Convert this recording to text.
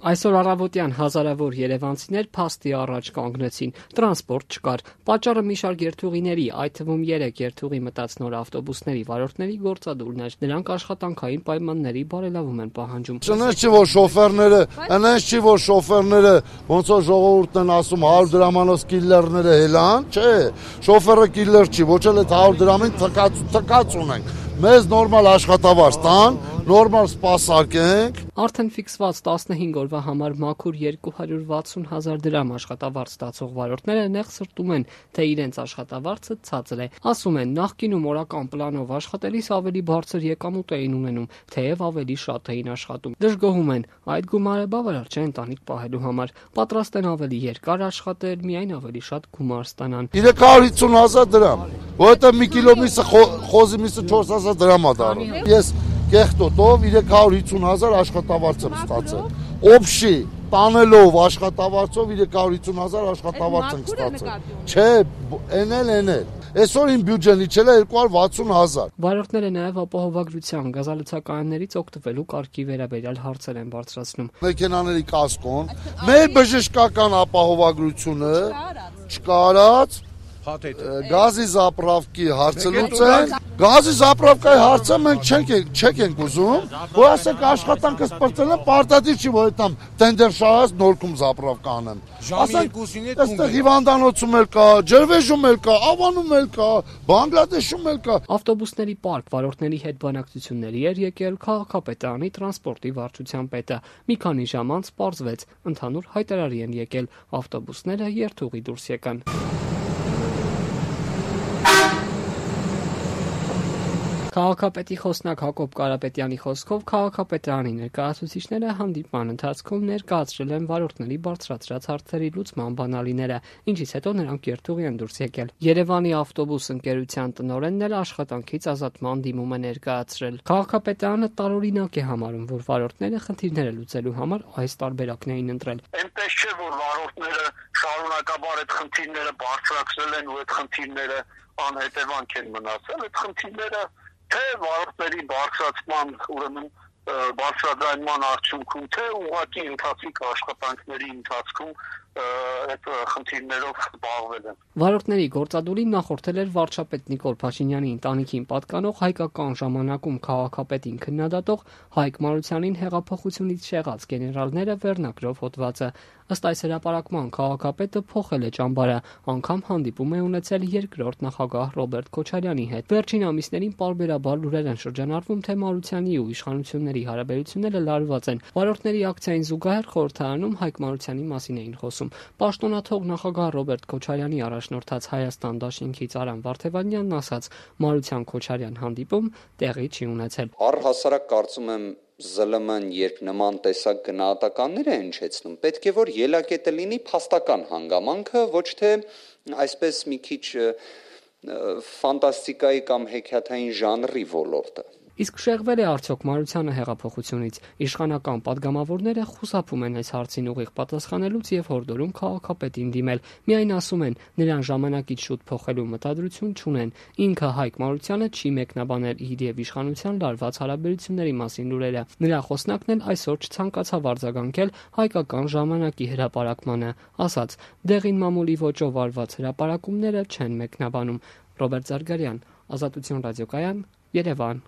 Այսօր առավոտյան հազարավոր երևանցիներ փաստի առաջ կանգնեցին, տրանսպորտ չկար, պատճառը մի շարք երթուղիների, այդ թվում 3 երթուղի մտած նոր ավտոբուսների վարորդների գործադուլն էր, նրանք աշխատանքային պայմանների բարելավում են պահանջում։ Չնայած չի, որ շոֆերները ոնց որ ժողովուրդն են ասում 100 դրամանոց կիլլերները հելան, չէ, շոֆերը կիլլեր չի, ոչ էլ այդ 100 դրամին թքած ունենք, մեզ նորմալ աշխատավարձ տան, նորմալ սպասարկենք։ Արդեն ֆիքսված 15 օրվա համար մաքուր 260,000 դրամ աշխատավարձ ստացող վարորդները նեղ սրտում են, թե իրենց աշխատավարձը ցածր է։ Ասում են, նախկինում օրական պլանով աշխատելիս ավելի բարձր եկամուտ էին ունենում, թեև ավելի շատ էին աշխատում։ Դժգոհում են, այդ գումարը բավարար չէ ընտանիք պահելու համար, պատրաստ են ավելի երկար աշխատել, միայն ավելի շատ գումար ստանան։ 350,000 դրամ, որովհետև մի կիլո միսը խոզի միսը 4,000 դրամ է դառնում։ Ես կեղտոտով 350,000 աշխատավարձ եմ ստացել։ Օբշի տանելով աշխատավարձով 350,000 աշխատավարձ եմ ստացել։ Չէ, էնել։ Այսօր իմ բյուջեն իջել է 260,000։ Վարորդները նաև ապահովագրության գազալցակայաններից օգտվելու կարգի վերաբերյալ հարցեր են բարձրացնում։ Մեքենաների կասկոն, մեր բժշկական ապահովագրությունը չկարած գազի զապրավկի հարցը լուծեն, գազի զապրավկայի հարցը մենք չենք ուզում, որ ասենք աշխատանքը սպրծել է, պարտադիր չի, որ այդամ տենդեր շահած նորքում զապրավկա անեմ։ Ասենք, այստեղ հիվանդանոցում էլ կա, Ջրվեժում էլ կա, Ավանում էլ կա, Բանգլադեշում էլ կա։ Ավտոբուսների պարկ վարորդների հետ բանակցությունների էր եկել քաղաքապետարանի տրանսպորտի վարչության պետը։ Մի քանի ժամ անց պարզվեց, ընդհանուր հայտարարի են եկել, ավտոբուսները երթուղի դուրս եկան։ Քաղաքապետի խոսնակ Հակոբ Կարապետյանի խոսքով քաղաքապետարանի ներկայացուցիչները հանդիպման ընթացքում ներկայացրել են վարորդների բարձրացրած հարցերի լուծման բանալիները, ինչից հետո նրանք երթուղի են դուրս եկել։ Երևանի ավտոբուս ընկերության տնօրենն էլ աշխատանքից ազատման դիմում է ներկայացրել։ Քաղաքապետարանը տարօրինակ է համարում, որ վարորդները խնդիրները լուծելու համար այս տարբերակն էին ընտրել։ Այնպես չէ, որ վարորդները շարունակաբար այդ խնդիրները բարձրացրել են ու այդ խնդիրները անհետևանք են մնացել, այդ խնդիրները թե վարորդների բարձրացման, ուրեմն բարձրաձայնման արդյունքում, թե ուղղակի ընթացիկ աշխատանքների ընթացքում այդ խնդիրներով զբաղվել են։ Վարորդների գործադուլին նախորդել էր վարչապետ Նիկոլ Փաշինյանի ընտանիքին պատկանող հայկական ժամանակում քաղաքապետին քննադատող Հայկ Մարությանին հեղափոխությունից շեղած գեներալները վերնագրով հոդվածը։ Ըստ այս հրապարակման քաղաքապետը փոխել է ճամբարը, անգամ հանդիպում է ունեցել երկրորդ նախագահ Ռոբերտ Քոչարյանի հետ։ Վերջին ամիսներին պարբերաբար լուրեր են շրջանառվում, թե Մարությանի ու իշխանությունների հարաբերությունները լարված են։ Վարորդների ակցիային զուգահեռ խորհրդարանում Հայկ Մարությանի մասին էին խոսում։ Պաշտոնաթող նախագահ Ռոբերտ Քոչարյանի առաջնորդած Հայաստան դաշինքից Արամ Վարդևանյանն ասաց, Մարության Քոչարյան հանդիպում տեղի չի ունեցել։ Առհասարակ կարծում եմ ԶԼՄ-ն երբ նման տեսակ գնահատականներ է հնչեցնում, պետք է որ ելակետը լինի փաստական հանգամանքը, ոչ թե այսպես մի քիչ ֆանտաստիկայի կամ հեքիաթային ժանրի ոլորտը։ Իսկ շեղվել է արդյոք Մարությանը հեղափոխությունից։ Իշխանական падգամավորները խուսափում են այս հարցին ուղիղ պատասխանելուց եւ հորդորում քաղաքապետին դիմել։ Միայն ասում են, նրան ժամանակից շուտ փոխելու մտադրություն չունեն։ Ինքը Հայկ Մարությանը չի մեկնաբանել իր եւ իշխանության լարված հարաբերությունների մասին լուրերը։ Նրա խոսնակն էլ այսօր չցանկացավ արձագանքել հայկական ժամանակի հրապարակմանը, ասաց. «Դեղին մամուլի ոճով արված հրապարակումները չեն մեկնաբանում»։ Ռոբերտ Զարգարյան, Ազատություն ռադիոկայան, Երևան։